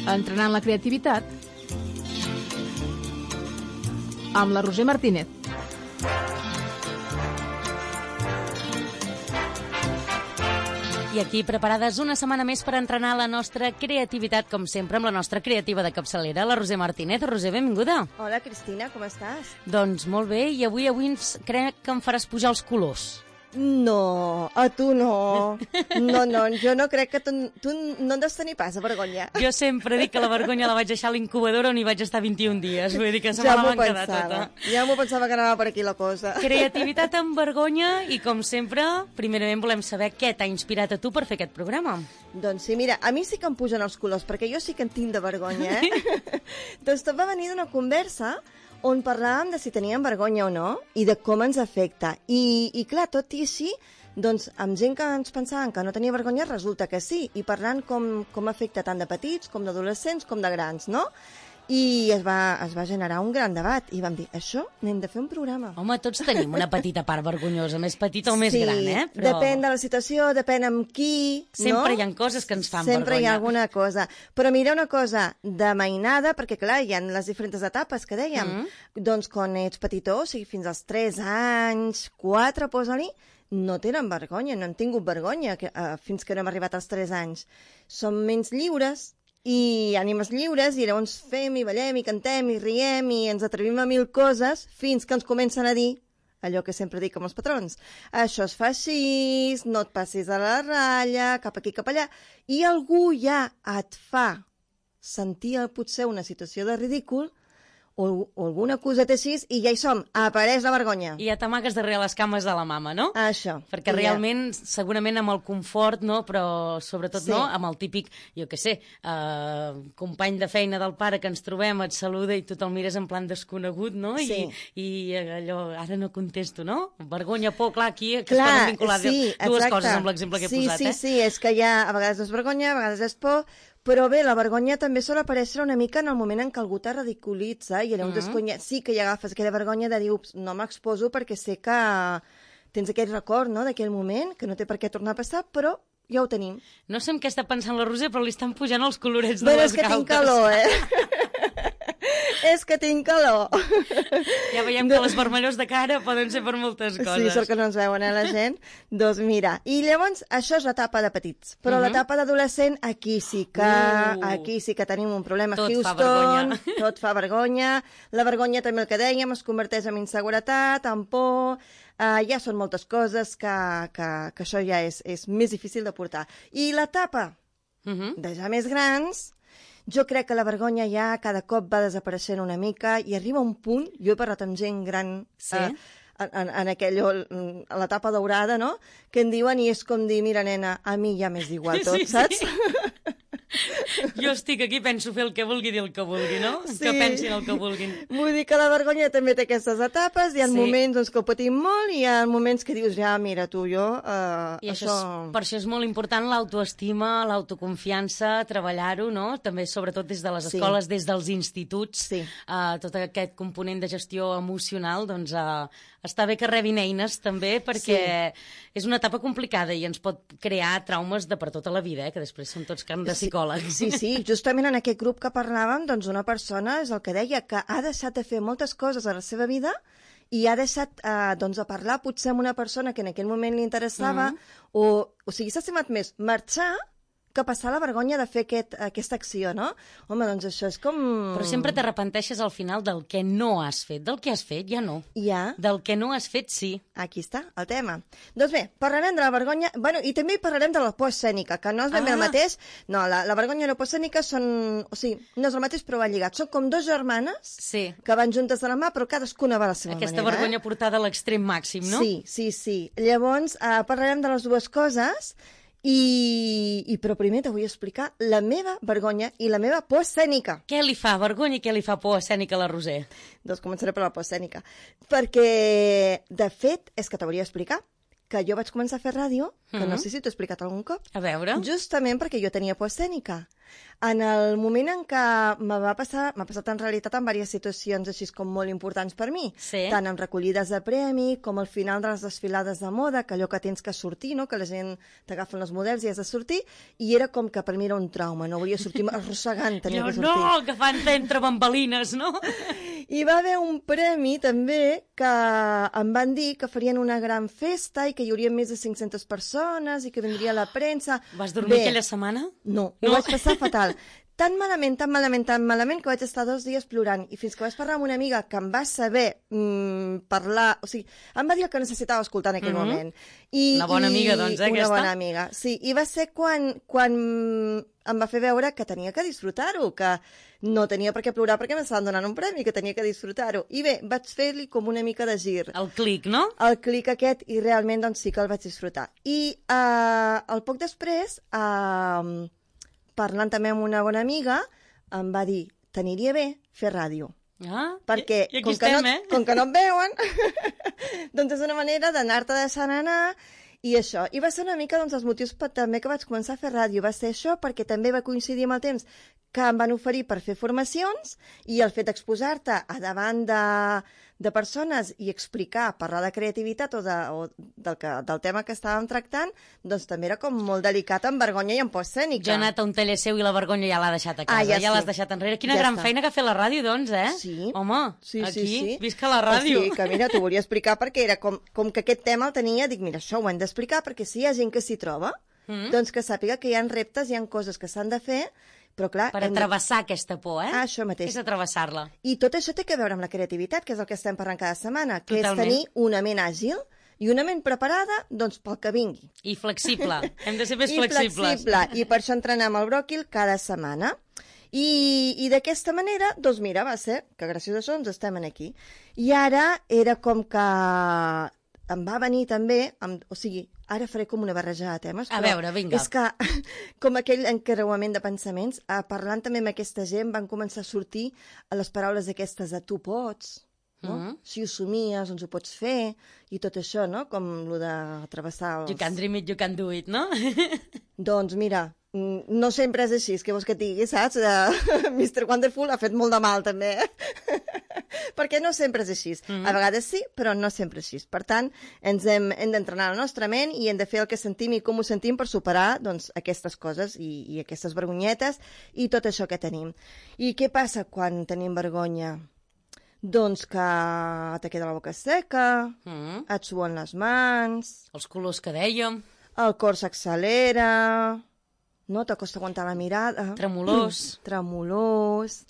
Entrenant la creativitat amb la Roser Martínez. I aquí, preparades una setmana més per entrenar la nostra creativitat, com sempre, amb la nostra creativa de capçalera, la Roser Martínez. Roser, benvinguda. Hola, Cristina, com estàs? Doncs molt bé, i avui crec que em faràs pujar els colors. No, a tu no. No, jo no crec que tu no en deus tenir pas, vergonya. Jo sempre dic que la vergonya la vaig deixar a l'incubadora on hi vaig estar 21 dies. Vull dir que se me la van quedar tota. Ja m'ho pensava que anava per aquí la cosa. Creativitat amb vergonya i, com sempre, primerament volem saber què t'ha inspirat a tu per fer aquest programa. Doncs sí, mira, a mi sí que em pugen els colors, perquè jo sí que en tinc de vergonya, Doncs tot va venir d'una conversa on parlàvem de si teníem vergonya o no i de com ens afecta. I clar, tot i així, doncs, amb gent que ens pensaven que no tenia vergonya, resulta que sí. I parlant com afecta tant de petits, com d'adolescents, com de grans, no? I es va generar un gran debat i vam dir, això n'hem de fer un programa. Home, tots tenim una petita part vergonyosa, més petita o més gran, eh? Però depèn de la situació, depèn amb qui, Sempre hi ha coses que ens fan vergonya. Sempre hi ha alguna cosa. Però mira una cosa de mainada, perquè clar, hi ha les diferents etapes que dèiem. Doncs quan ets petitó, o sigui, fins als 3 anys, 4, posa-li, no tenen vergonya, no han tingut vergonya fins que no hem arribat als 3 anys. Som menys lliures, i ànimes lliures, i llavors fem i ballem i cantem i riem i ens atrevim a 1000 coses fins que ens comencen a dir allò que sempre dic amb els patrons. Això es fa així, no et passis a la ratlla, cap aquí, cap allà. I algú ja et fa sentir potser una situació de ridícul o alguna coseta així, i ja hi som, apareix la vergonya. I ja t'amagues darrere les cames de la mama, no? Això. Perquè realment, segurament amb el confort, no? Però sobretot no, amb el típic, jo què sé, company de feina del pare que ens trobem, et saluda i tu te'l mires en plan desconegut, no? I allò, ara no contesto, no? Vergonya, por, clar, aquí que es poden vincular dues coses amb l'exemple que he posat, Sí, és que ja a vegades és vergonya, a vegades és por. Però bé, la vergonya també sol aparèixer una mica en el moment en què algú te ridiculitza i llavors sí que hi agafes aquella vergonya de dir, ups, no m'exposo perquè sé que tens aquell record, no?, d'aquell moment, que no té per què tornar a passar, però ja ho tenim. No sé en què està pensant la Roser, però li estan pujant els colorets de les galtes. És que tinc calor, És que tinc calor. Ja veiem que les vermellors de cara poden ser per moltes coses. Sí, sort que no ens veuen, la gent. Doncs mira, i llavors això és l'etapa de petits, però l'etapa d'adolescent aquí sí que tenim un problema. Tot Houston, fa vergonya. Tot fa vergonya. La vergonya també, el que dèiem, es converteix en inseguretat, en por. Ja són moltes coses que això ja és més difícil de portar. I l'etapa de ja més grans, jo crec que la vergonya ja cada cop va desapareixent una mica i arriba un punt, jo he parlat amb gent gran en l'etapa daurada, no?, que en diuen i és com dir, mira, nena, a mi ja m'és igual tot, saps? Jo estic aquí, penso fer el que vulgui, dir el que vulgui, no? Que pensin el que vulguin. Vull dir que la vergonya també té aquestes etapes, hi ha moments doncs, que ho patim molt i hi ha moments que dius, ja, mira, tu, jo, I per això és molt important l'autoestima, l'autoconfiança, treballar-ho, no? També, sobretot, des de les escoles, des dels instituts, tot aquest component de gestió emocional, doncs està bé que rebin eines, també, perquè és una etapa complicada i ens pot crear traumes de per tota la vida, que després són tots camps de psicòleg. Sí, justament en aquest grup que parlàvem, doncs una persona és el que deia, que ha deixat de fer moltes coses a la seva vida i ha deixat doncs, de parlar potser amb una persona que en aquell moment li interessava, o sigui, s'ha estimat més marxar que passar la vergonya de fer aquesta acció, no? Home, doncs això és com... Però sempre t'arrepenteixes al final del que no has fet. Del que has fet, ja no. Ja. Del que no has fet, sí. Aquí està, el tema. Doncs bé, parlarem de la vergonya... Bueno, i també parlarem de la por escènica, que no és ben bé el mateix. No, la vergonya i la por escènica són... O sigui, no és el mateix, però va lligat. Són com dos germanes que van juntes de la mà, però cadascuna va a la seva manera. Aquesta vergonya portada a l'extrem màxim, no? Sí. Llavors, parlarem de les dues coses... Però primer te vull explicar la meva vergonya i la meva por escènica. Què li fa vergonya i què li fa por escènica a la Roser? Doncs començaré per la por escènica. Perquè, de fet, és que t'hauria d'explicar que jo vaig començar a fer ràdio, que no sé si t'ho he explicat algun cop. A veure. Justament perquè jo tenia por escènica. En el moment en què m'ha passat en realitat en diverses situacions així com molt importants per mi, tant en recollides de premi com al final de les desfilades de moda, que allò que tens que sortir, no? Que la gent t'agafen els models i has de sortir, i era com que per mi era un trauma, no volia sortir arrossegant, tenia que sortir. No, que fan entre bambalines, no? I va haver un premi també que em van dir que farien una gran festa i que hi hauria més de 500 persones i que vindria la premsa. Vas dormir aquella setmana? No, ho vaig passar fatal. Tan malament, que vaig estar 2 dies plorant. I fins que vaig parlar amb una amiga que em va saber parlar... O sigui, em va dir el que necessitava escoltar en aquell moment. Una bona amiga, doncs, aquesta? Una bona amiga, sí. I va ser quan em va fer veure que tenia que disfrutar-ho, que no tenia per què plorar perquè m'estaven donant un premi, que tenia que disfrutar-ho. I bé, vaig fer-li com una mica de gir. El clic, no? El clic aquest, i realment doncs sí que el vaig disfrutar. I el poc després... parlant també amb una bona amiga, em va dir, t'aniria bé fer ràdio. Perquè, com que no et veuen, doncs és una manera d'anar-te deixant anar, i això. I va ser una mica els motius també que vaig començar a fer ràdio. Va ser això perquè també va coincidir amb el temps que em van oferir per fer formacions, i el fet d'exposar-te a davant de persones i explicar, parlar de creativitat o del tema que estàvem tractant, doncs també era com molt delicat, amb vergonya i amb por escènica. Jo he anat a un taller seu i la vergonya ja l'ha deixat a casa, ja l'has deixat enrere. Quina gran feina que ha fet la ràdio, doncs, eh? Sí. Home, aquí, visca la ràdio. Sí, que mira, t'ho volia explicar perquè era com que aquest tema el tenia, dic, mira, això ho hem d'explicar perquè si hi ha gent que s'hi troba, doncs que sàpiga que hi ha reptes, hi ha coses que s'han de fer, però clar... Per travessar aquesta por, eh? Això mateix. És travessar-la. I tot això té a veure amb la creativitat, que és el que estem parlant cada setmana, que és tenir una ment àgil i una ment preparada, doncs, pel que vingui. I flexible. Hem de ser més flexibles. I per això entrenem el bròquil cada setmana. I d'aquesta manera, doncs mira, va ser que gràcies a això ens estem aquí. I ara era com que em va venir també, o sigui, ara faré com una barreja de temes, però a veure, vinga. És que, com aquell encreuament de pensaments, parlant també amb aquesta gent, van començar a sortir les paraules aquestes de tu pots, no? Si ho somies, doncs ho pots fer, i tot això, no? Com lo de travessar els... You can dream it, you can do it, no? Doncs mira, no sempre és així, que vols que et digui, saps? Mr. Wonderful ha fet molt de mal, també, perquè no sempre és així. A vegades sí, però no sempre és així. Per tant, hem d'entrenar la nostra ment i hem de fer el que sentim i com ho sentim per superar doncs, aquestes coses i aquestes vergonyetes i tot això que tenim. I què passa quan tenim vergonya? Doncs que te queda la boca seca, et suen les mans... Els colors que dèiem... El cor s'accelera... No t'acosta aguantar la mirada... Tremolós... Tremolós...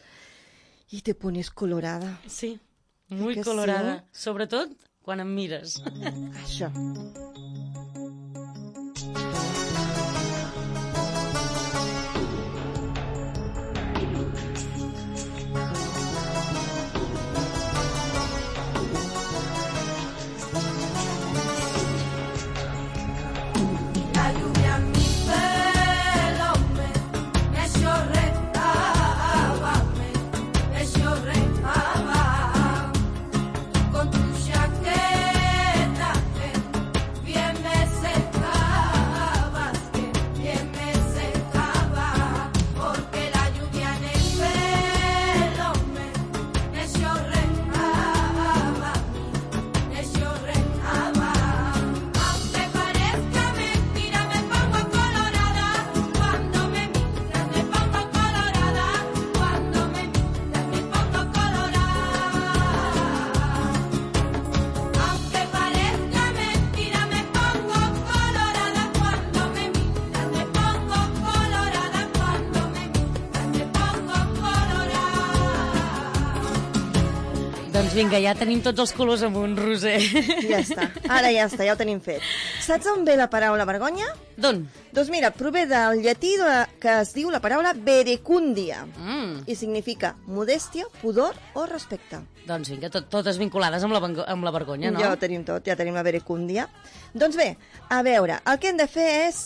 I te pones colorada. Sí, muy colorada. Sí? Sobretot quan em mires. Això. Vinga, ja tenim tots els colors amunt, Roser. Ja està, ara ja està, ja ho tenim fet. Saps on ve la paraula vergonya? D'on? Doncs mira, prové del llatí que es diu la paraula verecúndia i significa modèstia, pudor o respecte. Doncs vinga, totes vinculades amb la vergonya, no? Ja ho tenim tot, ja tenim la verecúndia. Doncs bé, a veure, el que hem de fer és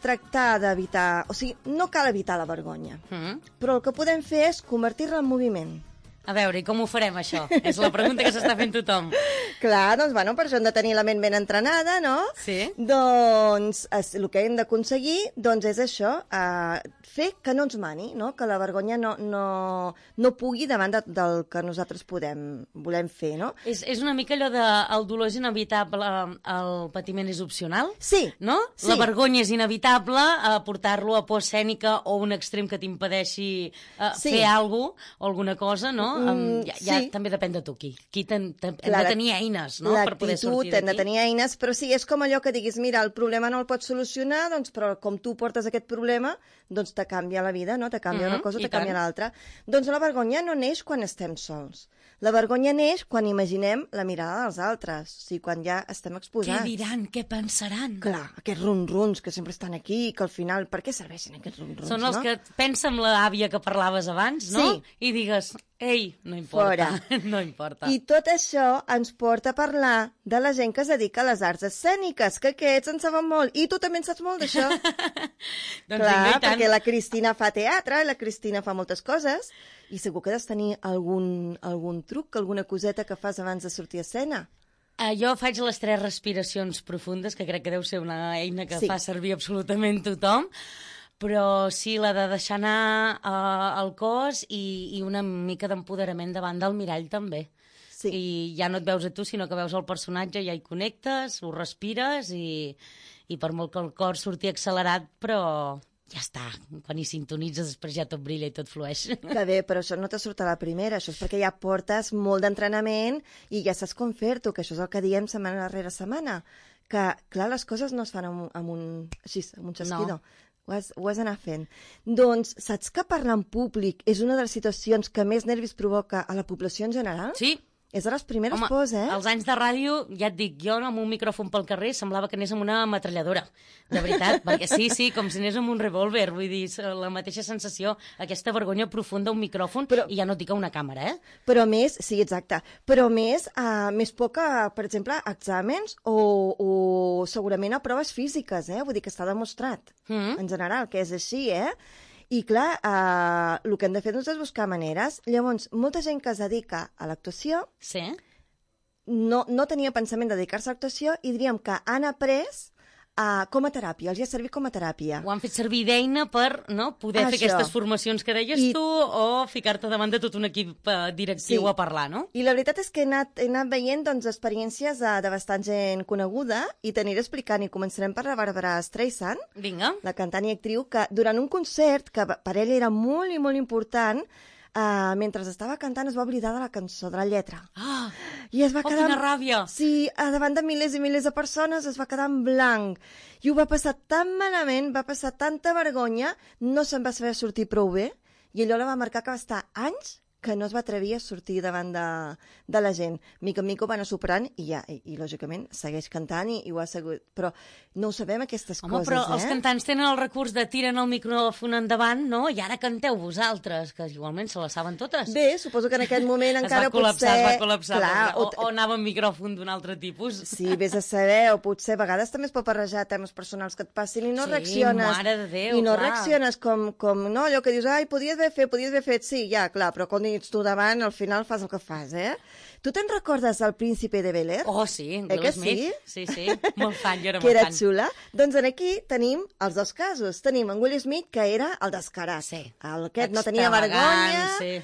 tractar d'evitar... O sigui, no cal evitar la vergonya, però el que podem fer és convertir-la en moviment. A veure, i com ho farem, això? És la pregunta que s'està fent tothom. Clar, doncs, bueno, per això hem de tenir la ment ben entrenada, no? Sí. Doncs el que hem d'aconseguir doncs, és això, fer que no ens mani, no? Que la vergonya no pugui davant del que nosaltres volem fer, no? És una mica allò de el dolor és inevitable, el patiment és opcional? Sí. No? Sí. La vergonya és inevitable, portar-lo a por escènica o un extrem que t'impedeixi fer alguna cosa o alguna cosa, no? Ja també depèn de tu, hem de tenir eines, no?, per poder sortir d'aquí. Hem de tenir eines, però sí, és com allò que diguis, mira, el problema no el pots solucionar, doncs, però com tu portes aquest problema, doncs te canvia la vida, no? Te canvia una cosa o te canvia l'altra. Doncs la vergonya no neix quan estem sols. La vergonya neix quan imaginem la mirada dels altres, o sigui, quan ja estem exposats. Què diran? Què pensaran? Clar, aquests ronrons que sempre estan aquí, que al final, per què serveixen aquests ronrons, Són els que pensa amb l'àvia que parlaves abans, no? Sí. I digues, ei, no importa, no importa. I tot això ens porta a parlar de la gent que es dedica a les arts escèniques, que aquests en saben molt, i tu també en saps molt d'això. Doncs clar, vinga, i tant. perquè la Cristina fa teatre, la Cristina fa moltes coses, i segur que has de tenir algun truc, alguna coseta que fas abans de sortir a escena. Jo faig les 3 respiracions profundes, que crec que deu ser una eina que fa servir absolutament tothom, però sí, la de deixar anar el cos i una mica d'empoderament davant del mirall també. Sí. I ja no et veus a tu, sinó que veus el personatge, ja hi connectes, ho respires i per molt que el cor surti accelerat, però ja està, quan hi sintonitzes després ja tot brilla i tot flueix. Que bé, però això no te surt a la primera, això és perquè ja portes molt d'entrenament i ja saps com fer-t'ho, que això és el que diem setmana rere setmana, que clar, les coses no es fan amb un xasquidor. No. Ho has d'anar fent. Doncs saps que parlar en públic és una de les situacions que més nervis provoca a la població en general? Sí. És de les primeres pors, als anys de ràdio, ja et dic, jo amb un micròfon pel carrer semblava que anés amb una metralladora, de veritat, perquè sí, com si anés amb un revòlver, vull dir, la mateixa sensació, aquesta vergonya profunda, un micròfon, i ja no et dic a una càmera, Però més, sí, exacte, però més por que, per exemple, exàmens o segurament a proves físiques, vull dir que està demostrat, en general, que és així, I clar, el que hem de fer és buscar maneres. Llavors, molta gent que es dedica a l'actuació no tenia pensament de dedicar-se a l'actuació i diríem que han après com a teràpia, els ha servit com a teràpia. Ho han fet servir d'eina per poder fer aquestes formacions que deies tu o ficar-te davant de tot un equip directiu a parlar, no? I la veritat és que he anat veient experiències de bastant gent coneguda i t'aniré explicant, i començarem per la Barbara Streisand, la cantant i actriu, que durant un concert, que per ella era molt i molt important, mentre estava cantant es va oblidar de la cançó, de la lletra. I es va quedar... quina ràbia! Sí, davant de milers i milers de persones es va quedar en blanc. I ho va passar tan malament, va passar tanta vergonya, no se'n va saber sortir prou bé, i allò la va marcar que va estar anys que no es va atrevir a sortir davant de la gent. Mica en mica ho va anar superant i lògicament segueix cantant i ho ha seguit. Però no ho sabem, aquestes coses, Home, però els cantants tenen el recurs de tiren el micròfon endavant, no? I ara canteu vosaltres, que igualment se les saben totes. Bé, suposo que en aquest moment encara potser... Es va col·lapsar. Clar, o anava amb micròfon d'un altre tipus. Sí, vés a saber, o potser a vegades també es pot barrejar temes personals que et passin i no reacciones. Sí, mare de Déu, i no reacciones com no, allò que dius, ai, podies haver fet, sí, ja, clar, però quan ets tu davant, al final fas el que fas, Tu te'n recordes del Príncipe de Bel-Air? Oh, sí, Will Smith. Sí, molt fan, jo era molt fan. Que era xula. Doncs aquí tenim els dos casos. Tenim en Will Smith, que era el descarat. Sí. Aquest no tenia vergonya. Sí.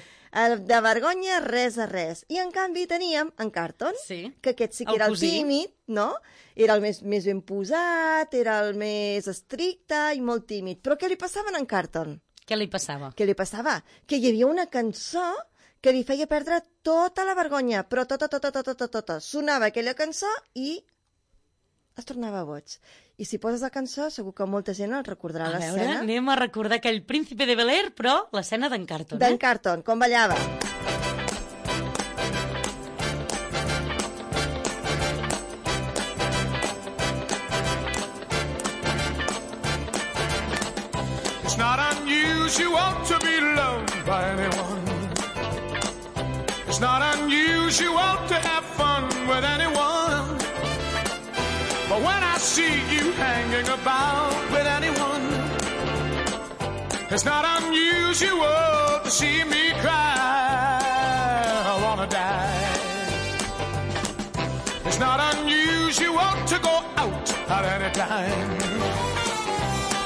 De vergonya, res a res. I, en canvi, teníem en Carlton, que aquest sí que era el tímid, no? Era el més ben posat, era el més estricte i molt tímid. Però què li passava a en Carlton? Què li passava? Què li passava? Que hi havia una cançó que li feia perdre tota la vergonya, però tota. Sonava aquella cançó i es tornava boig. I si poses la cançó, segur que molta gent el recordarà l'escena. A veure, anem a recordar aquell Príncipe de Bel-Air, però l'escena d'en Carlton. D'en Carlton, com ballava. It's not unusual to be loved by anyone. It's not unusual to have fun with anyone. But when I see you hanging about with anyone, it's not unusual to see me cry. wanna die. It's not unusual to go out at any time,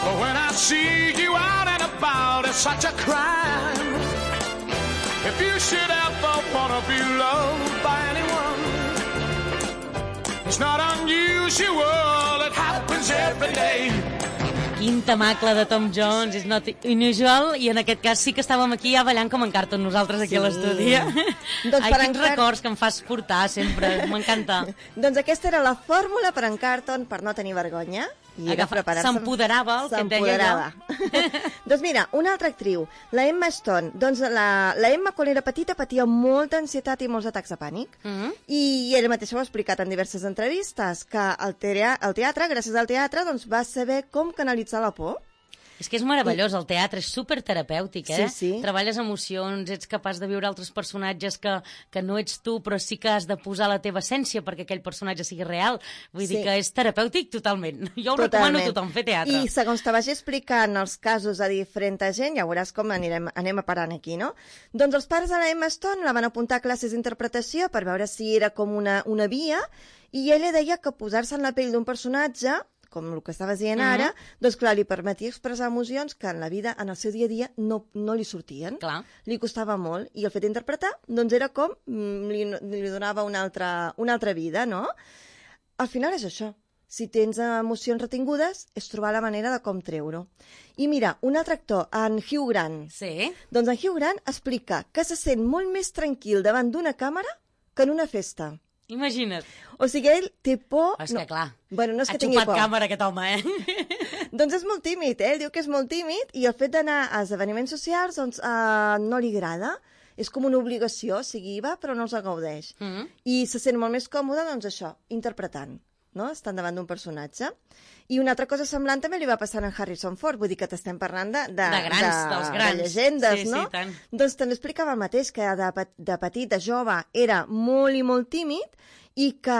but when I see you out and about, it's such a crime. If you should ever wanna be loved by anyone, it's not unusual, it happens every day. Quin temacle de Tom Jones, és not unusual, i en aquest cas sí que estàvem aquí ja ballant com en Carlton, nosaltres aquí a l'estudi. Doncs ai, quins records que em fas portar sempre, m'encanta. Doncs aquesta era la fòrmula per en Carlton per no tenir vergonya. S'empoderava, el que et deia jo. Doncs mira, una altra actriu, la Emma Stone. Doncs la Emma, quan era petita, patia molta ansietat i molts atacs de pànic. I ella mateixa ho ha explicat en diverses entrevistes, que el teatre, gràcies al teatre, doncs, va saber com canalitzar la por. És que és meravellós, el teatre és superterapèutic, eh? Sí. Treballes emocions, ets capaç de viure altres personatges que no ets tu, però sí que has de posar la teva essència perquè aquell personatge sigui real. Vull dir que és terapèutic totalment. Jo ho recomano a tothom, fer teatre. I segons te vagi explicant els casos a diferent gent, ja veuràs com anem a parant aquí, no? Doncs els pares de la Emma Stone la van apuntar a classes d'interpretació per veure si era com una via, i ella deia que posar-se en la pell d'un personatge, com el que estaves dient ara, doncs clar, li permetia expressar emocions que en la vida, en el seu dia a dia, no li sortien. Clar. Li costava molt. I el fet d'interpretar, doncs era com li donava una altra vida, no? Al final és això. Si tens emocions retingudes, és trobar la manera de com treure-ho. I mira, un altre actor, en Hugh Grant. Sí. Doncs en Hugh Grant explica que se sent molt més tranquil davant d'una càmera que en una festa. Imagina't. O sigui, ell té por... És que clar, bueno, no és que tingui por. Ha xupat càmera aquest home, eh? Doncs és molt tímid, Ell diu que és molt tímid i el fet d'anar a esdeveniments socials doncs, no li agrada. És com una obligació, o sigui, va, però no els gaudeix. I se sent molt més còmode, doncs això, interpretant, no? Estan davant d'un personatge. I una altra cosa semblant també li va passar a Harrison Ford, vull dir que t'estem parlant dels grans, de llegendes, no? Sí, tant. Doncs també explicava el mateix, que de petit, de jove, era molt i molt tímid i que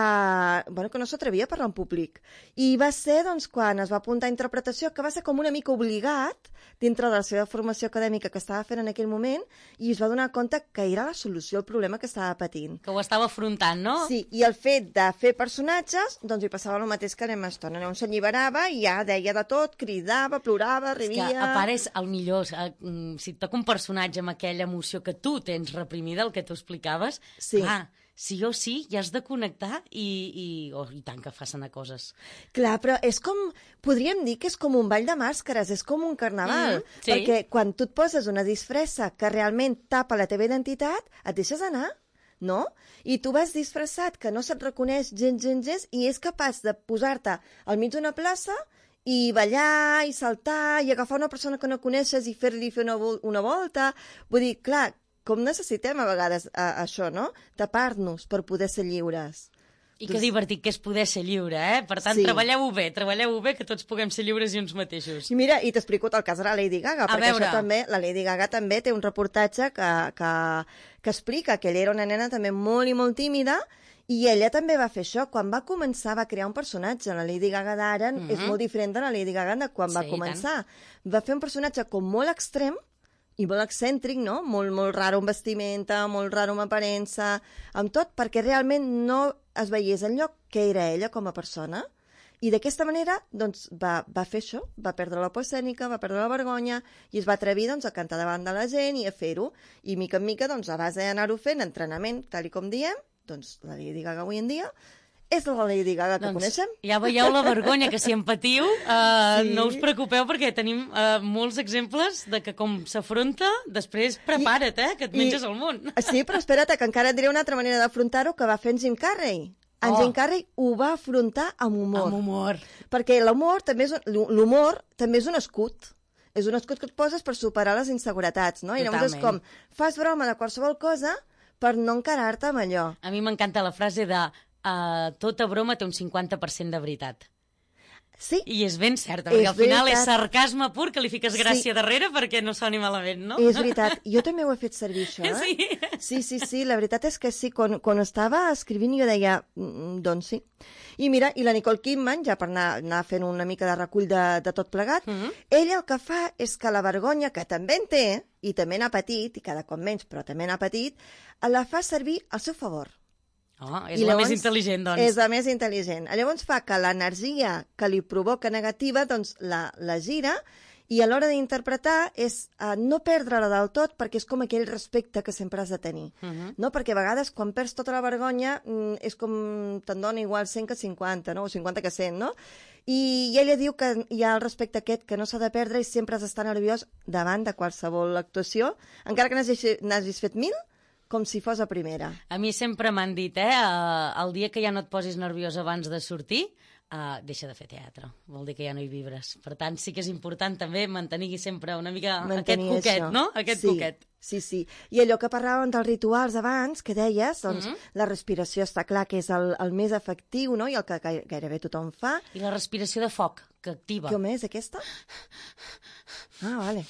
no s'atrevia a parlar en públic. I va ser, doncs, quan es va apuntar a interpretació, que va ser com una mica obligat dintre de la seva formació acadèmica que estava fent en aquell moment, i es va donar compte que era la solució al problema que estava patint. Que ho estava afrontant, no? Sí, i el fet de fer personatges, doncs li passava el mateix que l'Emma Stone. On s'alliberava i ja deia de tot, cridava, plorava, rivia... És que, a part, és el millor. Si et toca un personatge amb aquella emoció que tu tens reprimida, el que tu explicaves, clar, sí o sí, ja has de connectar i tant que facin a coses. Clar, però és com... Podríem dir que és com un ball de màscares, és com un carnaval. Sí. Perquè quan tu et poses una disfressa que realment tapa la teva identitat, et deixes anar, no? I tu vas disfressat, que no se't reconeix gens, i és capaç de posar-te al mig d'una plaça i ballar, i saltar, i agafar una persona que no coneixes i fer-li fer una volta. Vull dir, clar, com necessitem a vegades això, no? Tapar-nos per poder ser lliures. I que divertit que és poder ser lliure, eh? Per tant, treballeu-ho bé, que tots puguem ser lliures i uns mateixos. I mira, i t'explico el cas de la Lady Gaga, perquè això també, la Lady Gaga també té un reportatge que explica que ella era una nena també molt i molt tímida, i ella també va fer això. Quan va començar, va crear un personatge. La Lady Gaga d'ara és molt diferent de la Lady Gaga de quan va començar. Va fer un personatge com molt extrem, i molt excèntric, no? Molt raro en vestimenta, molt raro en aparença, amb tot, perquè realment no es veiés enlloc que era ella com a persona. I d'aquesta manera, doncs, va fer això, va perdre la por escènica, va perdre la vergonya, i es va atrevir, doncs, a cantar davant de la gent i a fer-ho. I mica en mica, doncs, a base d'anar-ho fent, entrenament, tal com diem, doncs, la Lady Gaga avui en dia és la Lady Gaga que coneixem. Ja veieu la vergonya, que si en patiu, no us preocupeu, perquè tenim molts exemples de que com s'afronta, després prepara't, que et menges el món. Sí, però espera't, que encara et diré una altra manera d'afrontar-ho que va fer en Jim Carrey. En Jim Carrey ho va afrontar amb humor. Amb humor. Perquè l'humor també és un escut. És un escut que et poses per superar les inseguretats, no? I llavors és com, fas broma de qualsevol cosa per no encarar-te amb allò. A mi m'encanta la frase de tota broma té un 50% de veritat. Sí. I és ben certa, perquè al final és sarcasme pur, que li fiques gràcia darrere perquè no soni malament, no? És veritat. Jo també ho he fet servir, això, Sí. Sí, la veritat és que sí. Quan estava escrivint jo deia, doncs sí. I mira, i la Nicole Kidman, ja per anar fent una mica de recull de tot plegat, ella el que fa és que la vergonya, que també en té, i també n'ha patit, i cada cop menys, però també n'ha patit, la fa servir al seu favor. Oh, és la més intel·ligent, doncs. És la més intel·ligent. Llavors fa que l'energia que li provoca negativa, doncs la gira, i a l'hora d'interpretar és no perdre-la del tot, perquè és com aquell respecte que sempre has de tenir. No? Perquè a vegades, quan perds tota la vergonya, és com te'n dona igual 100 que 50, no? O 50 que 100, no? I ella diu que hi ha el respecte aquest que no s'ha de perdre i sempre has d'estar nerviós davant de qualsevol actuació, encara que n'hagis fet 1000, com si fos a primera. A mi sempre m'han dit, el dia que ja no et posis nerviós abans de sortir, deixa de fer teatre. Vol dir que ja no hi vibres. Per tant, sí que és important també mantenir sempre una mica aquest coquet, això. No? Aquest coquet. Sí. I allò que parlàvem dels rituals abans, que deies, doncs la respiració està clar que és el més efectiu, no? I el que gairebé tothom fa. I la respiració de foc, que activa. Com és, aquesta? Vale.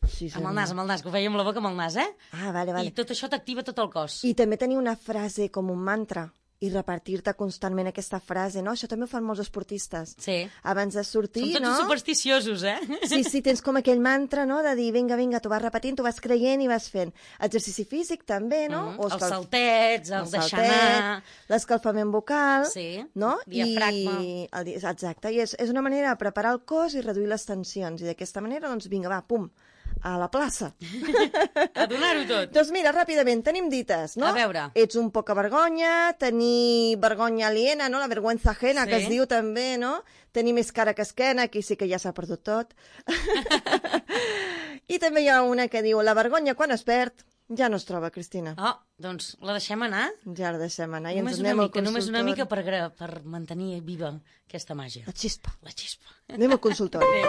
Sí, amb el nas, que ho feia amb la boca amb el nas, Vale. I tot això t'activa tot el cos. I també tenir una frase com un mantra i repartir-te constantment aquesta frase, no? Això també ho fan molts esportistes. Sí. Abans de sortir, no? Són tots supersticiosos, Sí, tens com aquell mantra, no?, de dir, vinga, t'ho vas repetint, t'ho vas creient i vas fent. Exercici físic, també, no? Els saltets, el deixar anar... L'escalfament vocal, no? Diafragma. Exacte, i és una manera de preparar el cos i reduir les tensions. I d'aquesta manera, doncs, vinga, va, pum, a la plaça. A donar-ho tot. Doncs mira, ràpidament, tenim dites, no? A veure. Ets un poca vergonya, tenir vergonya aliena, no? La vergüenza ajena, que es diu també, no? Tenir més cara que esquena, aquí sí que ja s'ha perdut tot. I també hi ha una que diu, la vergonya quan es perd ja no es troba, Cristina. Doncs la deixem anar? Ja la deixem anar i ens anem al consultori. Només una mica per mantenir viva aquesta màgia. La xispa. Anem al consultori.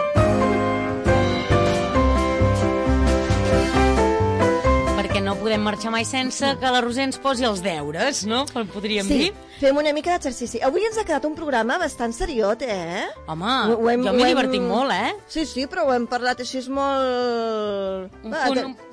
Perquè no podem marxar mai sense que la Roser ens posi els deures, no? Podríem dir. Sí, fem una mica d'exercici. Avui ens ha quedat un programa bastant seriot, Home, jo m'he divertit molt, Sí, però ho hem parlat així molt...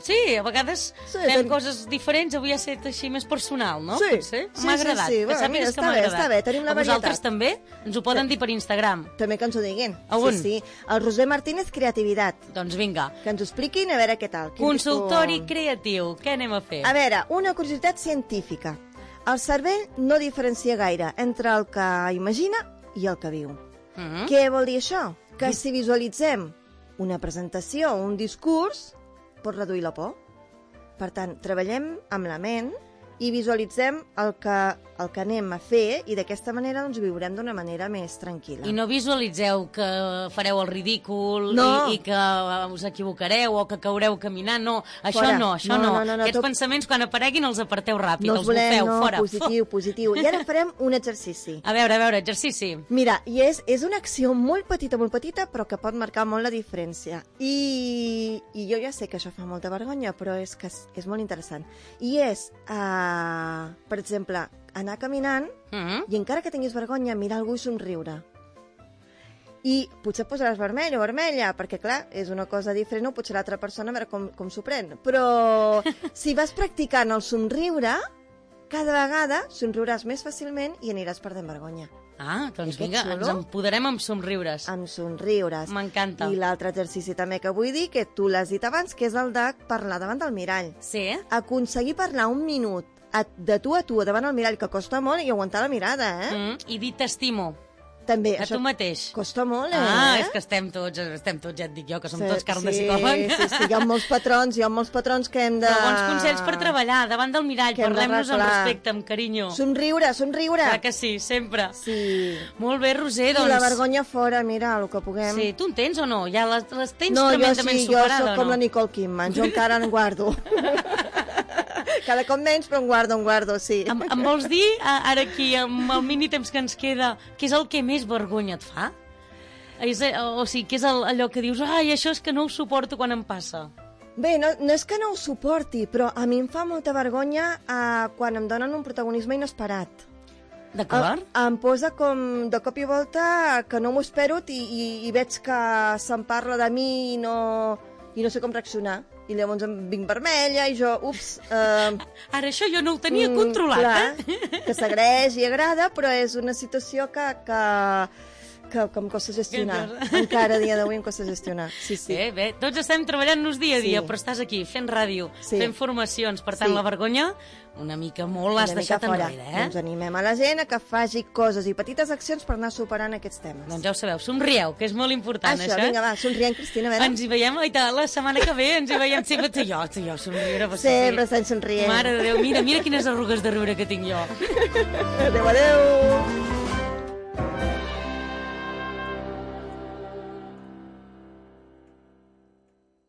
Sí, a vegades fem coses diferents, avui ha estat així més personal, no? Sí. M'ha agradat, que sàpigues que m'ha agradat. Està bé, tenim la varietat. Vosaltres també? Ens ho poden dir per Instagram. També que ens ho diguin. On? Sí. El Roser Martínez Creativitat. Doncs vinga. Que ens ho expliquin, a veure què tal. Consultori creatiu, què anem a fer? A veure, una curiositat científica. El cervell no diferencia gaire entre el que imagina i el que viu. Què vol dir això? Que si visualitzem una presentació o un discurs, pot reduir la por. Per tant, treballem amb la ment i visualitzem el que anem a fer i d'aquesta manera doncs viurem d'una manera més tranquil·la. I no visualitzeu que fareu el ridícul i que us equivocareu o que caureu caminant, no. Això no. Aquests pensaments quan apareguin els aparteu ràpid, els bufeu fora. Positiu. I ara farem un exercici. A veure, exercici. Mira, i és una acció molt petita, però que pot marcar molt la diferència. I jo ja sé que això fa molta vergonya, però és que és molt interessant. I és... per exemple, anar caminant i encara que tinguis vergonya, mirar algú i somriure. I potser et posaràs vermell o vermella, perquè, clar, és una cosa diferent, o potser l'altra persona a veure com s'ho pren. Però si vas practicant el somriure, cada vegada somriuràs més fàcilment i aniràs perdent vergonya. Doncs vinga, ens empoderem amb somriures. Amb somriures. M'encanta. I l'altre exercici també que vull dir, que tu l'has dit abans, que és el de parlar davant del mirall. Sí? Aconseguir parlar un minut de tu a tu davant el mirall, que costa molt, i aguantar la mirada, I dir t'estimo. També. A tu mateix. Costa molt, és que estem tots, ja et dic jo, que som tots carn de psicòleg. Sí, hi ha molts patrons que hem de... Però bons consells per treballar, davant del mirall, parlem-nos amb respecte, amb carinyo. Somriure. Clar que sí, sempre. Sí. Molt bé, Roser, doncs... I la vergonya fora, mira, el que puguem. Sí, tu en tens o no? Ja les tens tremendament superada, no? Jo soc com la Nicole Kidman, jo encara en guardo. Cada cop menys, però en guardo, sí. Em vols dir, ara aquí, amb el mini temps que ens queda, què és el que més vergonya et fa? O sigui, què és allò que dius, això és que no ho suporto quan em passa? Bé, no és que no ho suporti, però a mi em fa molta vergonya quan em donen un protagonisme inesperat. D'acord. Em posa com de cop i volta que no m'ho espero i veig que se'n parla de mi i no sé com reaccionar. I llavors em vinc vermella i jo, ups... Ara això jo no ho tenia controlat, clar, que s'agraeix i agrada, però és una situació que em costa gestionar. Encara a dia d'avui em costa gestionar. Sí. Bé, tots estem treballant-nos dia a dia, però estàs aquí fent ràdio, fent formacions, per tant la vergonya una mica molt l'has deixat enrere, Doncs animem a la gent a que faci coses i petites accions per anar superant aquests temes. Doncs ja ho sabeu, somrieu, que és molt important, això. Vinga, va, somrient, Cristina, a veure. Ens hi veiem, la setmana que ve, ens hi veiem sempre tu i jo, somriure. Sempre estan somrient. Mare de Déu, mira quines arrugues de riure que tinc jo. Adéu.